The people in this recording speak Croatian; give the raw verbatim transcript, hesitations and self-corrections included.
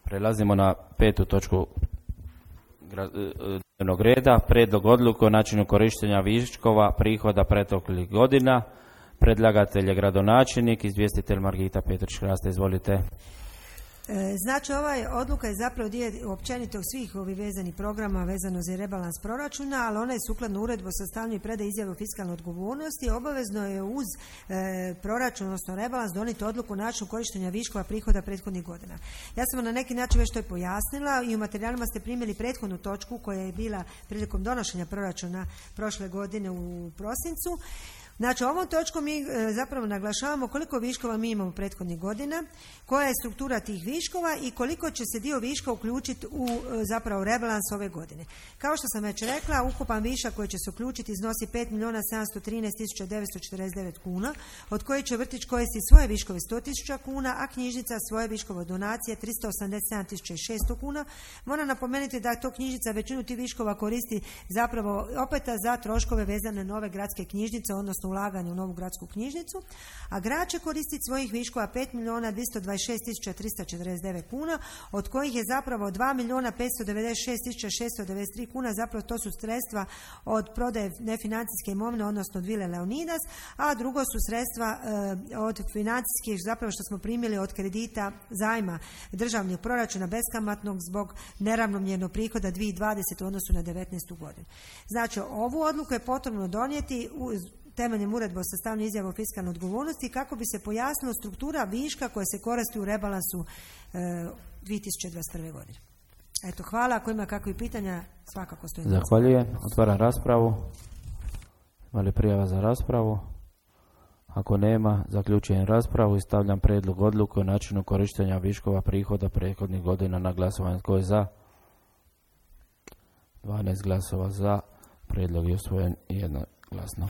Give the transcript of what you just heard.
Prelazimo na petu točku dnevnog reda, prijedlog odluke o načinu korištenja viškova prihoda proteklih godina. Predlagatelj je gradonačelnik, izvjestitelj Margita Petrić-Hrasta, izvolite. Znači, ovaj odluka je zapravo dio općenito svih ovih vezanih programa vezano za rebalans proračuna, ali ona je sukladno uredbu o sastavljanju i predaji izjave o fiskalnoj odgovornosti. Obavezno je uz e, proračun, odnosno rebalans, donijeti odluku o načinu korištenja viškova prihoda prethodnih godina. Ja sam na neki način već to i pojasnila i u materijalima ste primili prethodnu točku koja je bila prilikom donošenja proračuna prošle godine u prosincu. Znači, ovom točkom mi e, zapravo naglašavamo koliko viškova mi imamo prethodnih godina, koja je struktura tih viškova i koliko će se dio viška uključiti u e, zapravo rebalans ove godine. Kao što sam već rekla, ukupan višak koji će se uključiti iznosi pet milijuna sedamsto trinaest tisuća devetsto četrdeset devet kuna, od koje će vrtić koristiti svoje viškove sto tisuća kuna, a knjižnica svoje viškove donacije tristo osamdeset sedam tisuća šesto kuna. Moram napomenuti da to knjižnica većinu tih viškova koristi zapravo opet za troškove vezane nove gradske knjižnice, odnosno ulaganje u novu gradsku knjižnicu, a grad će koristiti svojih viškova pet milijuna dvjesto dvadeset šest tisuća tristo četrdeset devet kuna, od kojih je zapravo dva milijuna petsto devedeset šest tisuća šesto devedeset tri kuna, zapravo to su sredstva od prodaje nefinancijske imovine, odnosno od Vile Leonidas, a drugo su sredstva e, od financijskih, zapravo što smo primili od kredita zajma državnog proračuna beskamatnog zbog neravnomjernog prihoda dvije tisuće dvadesete u odnosu na devetnaestu godinu. Znači, ovu odluku je potrebno donijeti u temeljem uredbe o sastavljanju izjave o fiskalnoj odgovornosti kako bi se pojasnila struktura viška koja se koristi u rebalansu e, dvije tisuće dvadeset prve godine. Eto, hvala. Ako ima kakvih pitanja, svakako stojim. Zahvaljujem. Otvaram raspravu. Ima li prijava za raspravu? Ako nema, zaključujem raspravu i stavljam prijedlog odluke o načinu korištenja viškova prihoda prethodnih godina na glasovanje. Tko je za? dvanaest glasova za. Prijedlog je usvojen jednoglasno.